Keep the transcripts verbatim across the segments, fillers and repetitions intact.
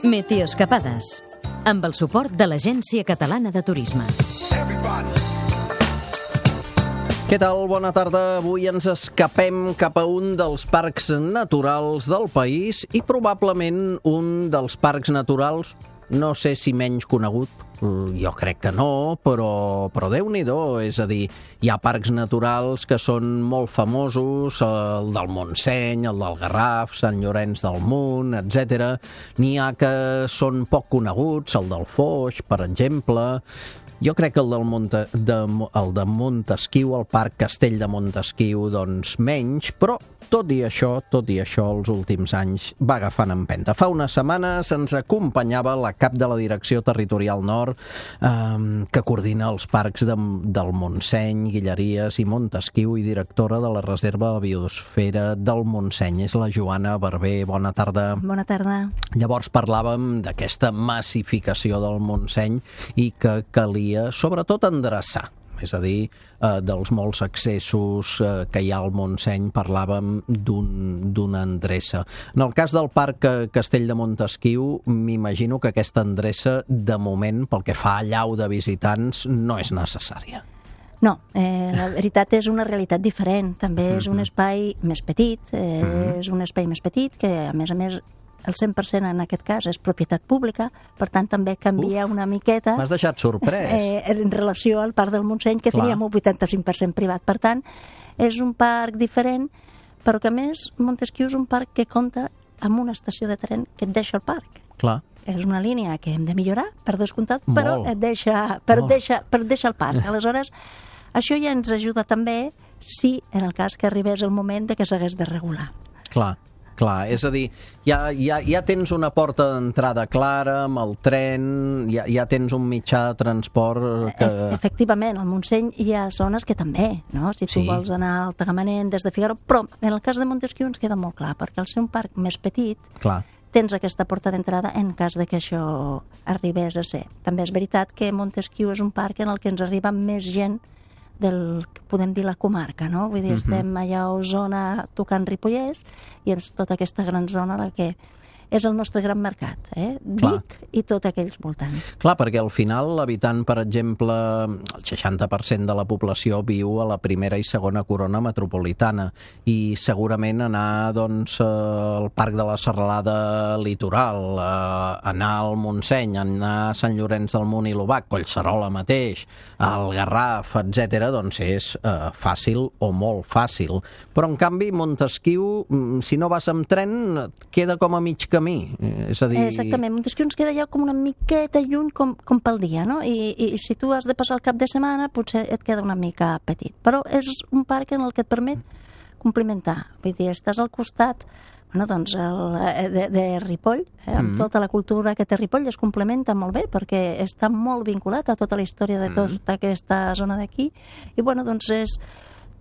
Meteoescapades, amb el suport de l'Agència Catalana de Turisme. Què tal? Bona tarda. Avui ens escapem cap a un dels parcs naturals del país i probablement un dels parcs naturals, no sé si menys conegut, jo crec que no, però, però Déu-n'hi-do, és a dir, hi ha parcs naturals que són molt famosos, el del Montseny, el del Garraf, Sant Llorenç del Munt, etcètera. N'hi ha que són poc coneguts, el del Foix, per exemple. Jo crec que el del Monte, de, el de Montesquiu, el Parc Castell de Montesquiu, doncs menys, però tot i això, tot i això, els últims anys va agafant empenta. Fa unes setmanes ens acompanyava la cap de la Direcció Territorial Nord, eh, que coordina els parcs de, del Montseny, Guilleries i Montesquiu i directora de la Reserva de Biosfera del Montseny. És la Joana Barber. Bona tarda. Bona tarda. Llavors parlàvem d'aquesta massificació del Montseny i que calia, sobretot, endreçar. És a dir, eh, dels molts accessos eh, que hi ha al Montseny, parlàvem d'un, d'una endreça. En el cas del Parc Castell de Montesquiu, m'imagino que aquesta endreça, de moment, pel que fa a allau de visitants, no és necessària. No, eh, la veritat és una realitat diferent. També és un espai més petit, eh, mm-hmm. és un espai més petit que, a més a més, el cent per cent en aquest cas és propietat pública, per tant també canvia Uf, una miqueta... M'has deixat sorprès. Eh, en relació al Parc del Montseny, que Clar. teníem un vuitanta-cinc per cent privat. Per tant, és un parc diferent, però que a més Montesquiu és un parc que compta amb una estació de tren que et deixa al parc. Clar. És una línia que hem de millorar, per descomptat, Molt. però et deixa, però et deixa, però et deixa al parc. Aleshores, això ja ens ajuda també si, en el cas que arribés el moment de que s'hagués de regular. Clar. Clar, és a dir, ja, ja, ja tens una porta d'entrada clara amb el tren, ja, ja tens un mitjà de transport que... E Efectivament, al Montseny hi ha zones que també, no? Si tu sí. vols anar al Tagamanent des de Figueroa, però en el cas de Montesquiu ens queda molt clar, perquè al ser un parc més petit, clar. tens aquesta porta d'entrada en cas de que això arribés a ser. També és veritat que Montesquiu és un parc en el que ens arriba més gent del que podem dir la comarca, no? Vull dir, uh-huh. estem allà a Osona tocant Ripollès i és tota aquesta gran zona la que és el nostre gran mercat, eh? Vic i tot aquells voltants. Clar, perquè al final l'habitant, per exemple, el seixanta per cent de la població viu a la primera i segona corona metropolitana i segurament anar doncs, al Parc de la Serralada Litoral, anar al Montseny, anar a Sant Llorenç del Munt i l'Obac, Collserola mateix, al Garraf, etcètera, doncs és eh, fàcil o molt fàcil. Però, en canvi, Montesquiu, si no vas amb tren, et queda com a mig camí. És a dir... Exactament, Montesquiu ens queda ja com una miqueta lluny com, com pel dia, no? I, I si tu has de passar el cap de setmana potser et queda una mica petit. Però és un parc en el que et permet complementar. Vull dir, estàs al costat bueno, doncs el, de, de Ripoll, eh, amb mm. tota la cultura que té Ripoll, es complementa molt bé perquè està molt vinculat a tota la història de tota mm. aquesta zona d'aquí. I bueno, doncs és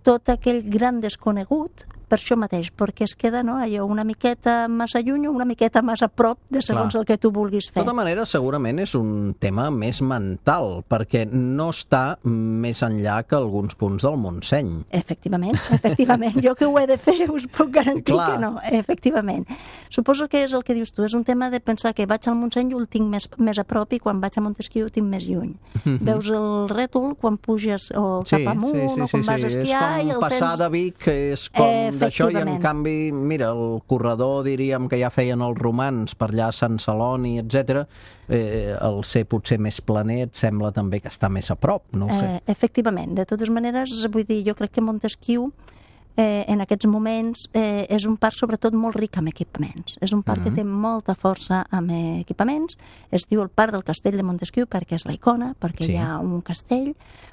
tot aquell gran desconegut per això mateix, perquè es queda no, allò una miqueta massa lluny o una miqueta massa a prop de segons Clar. el que tu vulguis fer. De tota manera, segurament és un tema més mental, perquè no està més enllà que alguns punts del Montseny. Efectivament, efectivament. Jo que ho he de fer us puc garantir Clar. que no, efectivament. Suposo que és el que dius tu, és un tema de pensar que vaig al Montseny i el tinc més, més a prop i quan vaig a Montesquiu el tinc més lluny. Mm-hmm. Veus el rètol quan puges o sí, cap amunt sí, sí, o quan sí, vas a esquiar i el tens... És com passar de Vic, és com d'això, i en canvi, mira, el corredor, diríem, que ja feien els romans per allà a Sant Celoni, etcètera, eh, el ser potser més planer et sembla també que està més a prop, no ho sé. Eh, efectivament, de totes maneres, vull dir, jo crec que Montesquiu Eh, en aquests moments eh, és un parc sobretot molt ric amb equipaments. És un parc uh-huh. que té molta força amb equipaments. Es diu el Parc del Castell de Montesquiu perquè és la icona, perquè sí. hi ha un castell,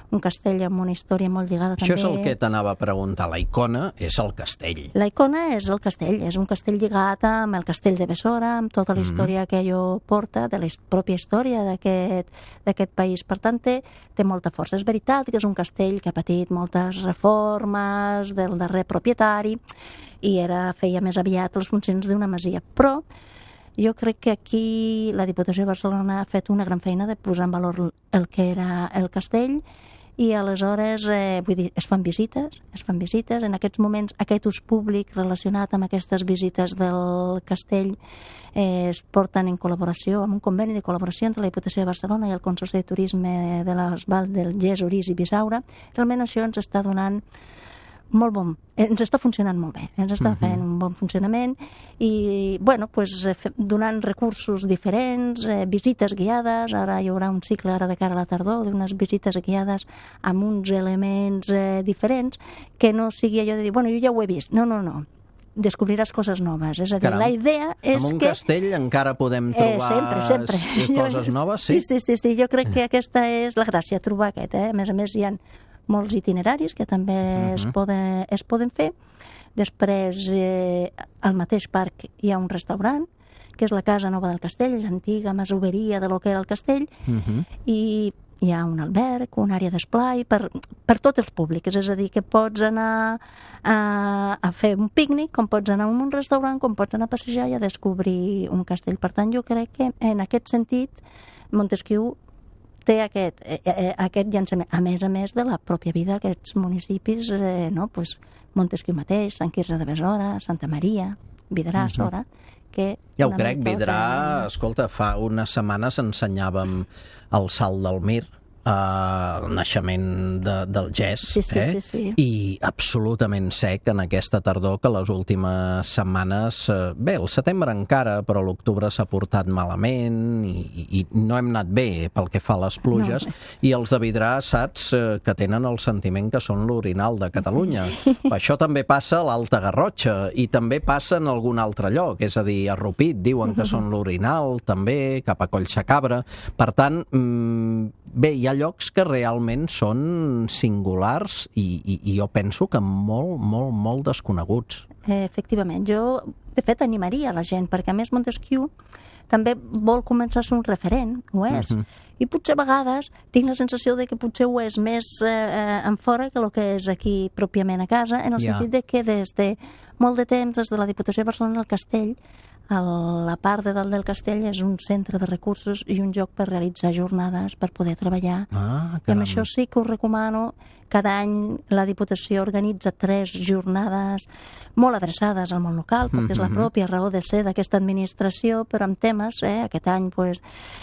un castell amb una història molt lligada Això també... Això és el que t'anava a preguntar. La icona és el castell. La icona és el castell. És un castell lligat amb el castell de Bessora, amb tota la història uh-huh. que allò porta, de la pròpia història d'aquest país. Per tant, té, té molta força. És veritat que és un castell que ha patit moltes reformes del darrer propietari i era, feia més aviat les funcions d'una masia, però jo crec que aquí la Diputació de Barcelona ha fet una gran feina de posar en valor el que era el castell i aleshores eh, vull dir, es fan visites, es fan visites, en aquests moments aquest ús públic relacionat amb aquestes visites del castell eh, es porten en col·laboració, amb un conveni de col·laboració entre la Diputació de Barcelona i el Consorci de Turisme de les Valls del Gès, Orís i Bisaura. Realment això ens està donant molt bon, ens està funcionant molt bé, ens està fent un bon funcionament i, bueno, pues, donant recursos diferents, eh, visites guiades, ara hi haurà un cicle ara de cara a la tardor, d'unes visites guiades amb uns elements eh, diferents, que no sigui allò de dir, bueno, jo ja ho he vist, no, no, no, descobriràs coses noves, és a dir, Caram, la idea és que... En un que... castell encara podem trobar eh, sempre, sempre. coses noves, sí? Sí, sí, sí, sí, jo crec que aquesta és la gràcia, trobar aquest, eh? A més a més hi ha molts itineraris que també uh-huh. es, poden, es poden fer. Després, eh, al mateix parc hi ha un restaurant, que és la Casa Nova del Castell, l'antiga masoveria de lo que era el castell, uh-huh. i hi ha un alberg, una àrea d'esplai per, per tots els públics, és a dir, que pots anar a, a fer un pícnic, com pots anar a un restaurant, com pots anar a passejar i a descobrir un castell. Per tant, jo crec que en aquest sentit Montesquiu té aquest, eh, eh, aquest llançament, a més a més de la pròpia vida d'aquests municipis, eh, no? Pues Montesquiu mateix, Sant Quirze de Besora, Santa Maria, Vidrà, uh-huh. Sora, que... Ja ho crec, Vidrà, que... escolta, fa unes setmanes ensenyàvem el Salt del Mir, Uh, el naixement de, del Gès, sí, sí, eh? sí, sí. I absolutament sec en aquesta tardor, que les últimes setmanes, uh, bé, el setembre encara, però l'octubre s'ha portat malament i, i, i no hem anat bé pel que fa a les pluges, no, i els de Vidrà, saps, uh, que tenen el sentiment que són l'orinal de Catalunya. Sí. Això també passa a l'Alta Garrotxa i també passa en algun altre lloc, és a dir, a Rupit diuen que són l'orinal, també, cap a Collsacabra. Per tant, mmm, bé, hi ha llocs que realment són singulars i, i, i jo penso que molt, molt, molt desconeguts. Eh, efectivament. Jo, de fet, animaria la gent, perquè a més Montesquiu també vol començar a ser un referent, ho és. Uh-huh. I potser a vegades tinc la sensació de que potser ho és més eh, en fora que el que és aquí pròpiament a casa, en el yeah. sentit de que des de molt de temps, des de la Diputació de Barcelona al Castell, a la part de dalt del castell és un centre de recursos i un lloc per realitzar jornades, per poder treballar. Ah, I amb això sí que us recomano. Cada any la Diputació organitza tres jornades molt adreçades al món local, perquè mm-hmm. és la pròpia raó de ser d'aquesta administració, però amb temes, eh, aquest any pues,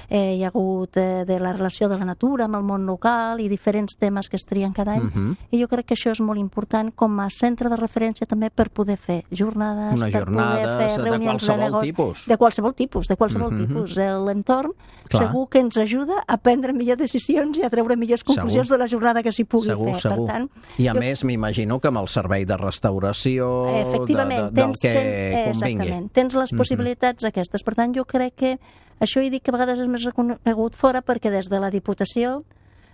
eh, hi ha hagut eh, de la relació de la natura amb el món local i diferents temes que es trien cada any, mm-hmm. i jo crec que això és molt important com a centre de referència també per poder fer jornades, Una per jornades poder fer reunions de qualsevol de negoci, tipus. De qualsevol tipus, de qualsevol mm-hmm. tipus. L'entorn segur que ens ajuda a prendre millors decisions i a treure millors conclusions segur. de la jornada que s'hi pugui segur, fer. Segur. Per tant, I a jo... més m'imagino que amb el servei de restauració efectivament, de, de, del tens, que ten, convingui. Exactament, tens les possibilitats mm-hmm. aquestes. Per tant, jo crec que això he dit que a vegades és més reconegut fora perquè des de la Diputació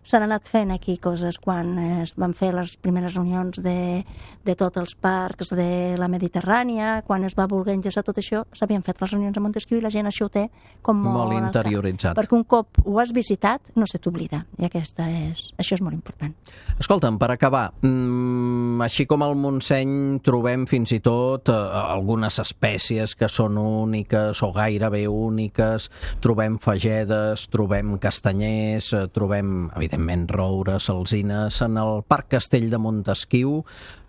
s'han anat fent aquí coses quan es van fer les primeres reunions de, de tots els parcs de la Mediterrània, quan es va voler enllaçar tot això, s'havien fet les reunions a Montesquiu i la gent això ho té com molt, molt interioritzat. Perquè un cop ho has visitat no se t'oblida, i aquesta és, això és molt important. Escolta'm, per acabar, mmm, així com al Montseny trobem fins i tot eh, algunes espècies que són úniques o gairebé úniques, trobem fagedes, trobem castanyers, eh, trobem, evidentment, evidentment, roures, alzines. En el Parc Castell de Montesquiu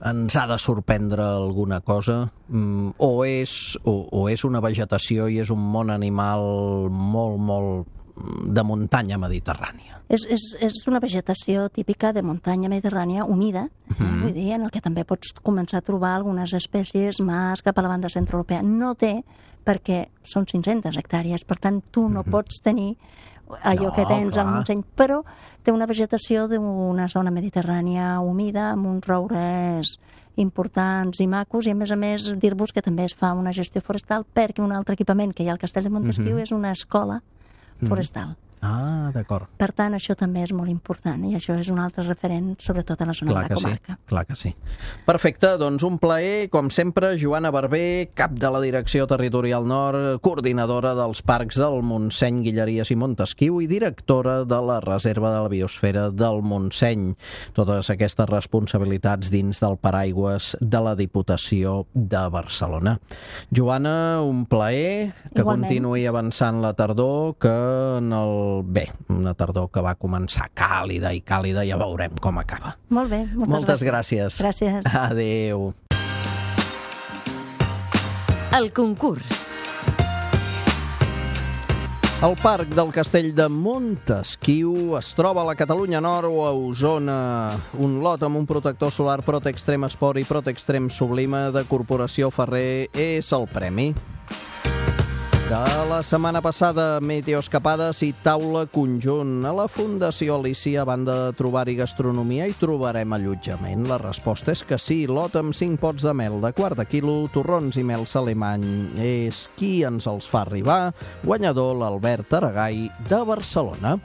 ens ha de sorprendre alguna cosa? Mm, o, és, o, o és una vegetació i és un món animal molt, molt de muntanya mediterrània? És, és, és una vegetació típica de muntanya mediterrània humida, mm-hmm. eh, vull dir, en el que també pots començar a trobar algunes espècies més cap a la banda centroeuropea. No té, perquè són cinc-centes hectàrees, per tant, tu no mm-hmm. pots tenir allò no, que tens clar. al Montseny, però té una vegetació d'una zona mediterrània humida, amb uns roures importants i macos, i a més a més dir-vos que també es fa una gestió forestal, perquè un altre equipament que hi ha al Castell de Montesquiu mm-hmm. és una escola forestal. Mm-hmm. Ah, d'acord. Per tant, això també és molt important, i això és un altre referent, sobretot a la zona clar de la comarca. Sí, clar que sí. Perfecte, doncs un plaer, com sempre, Joana Barber, cap de la Direcció Territorial Nord, coordinadora dels parcs del Montseny, Guilleries i Montesquiu i directora de la Reserva de la Biosfera del Montseny. Totes aquestes responsabilitats dins del paraigües de la Diputació de Barcelona. Joana, un plaer, que Igualment. Continuï avançant la tardor, que en el final, bé, una tardor que va començar càlida i càlida, ja veurem com acaba. Molt bé, moltes, Moltes gràcies. Gràcies. Adéu. El concurs. El Parc del Castell de Montesquiu es troba a la Catalunya Nord o a Osona. Un lot amb un protector solar Protextrem Sport i Protextrem Sublime de Corporació Ferrer és el premi. De la setmana passada, meteoescapades i taula conjunt. A la Fundació Alicia, a banda de trobar-hi gastronomia, hi trobarem allotjament. La resposta és que sí. Lot amb cinc pots de mel de quart de quilo, torrons i mel alemany. És qui ens els fa arribar. Guanyador l'Albert Aragai de Barcelona.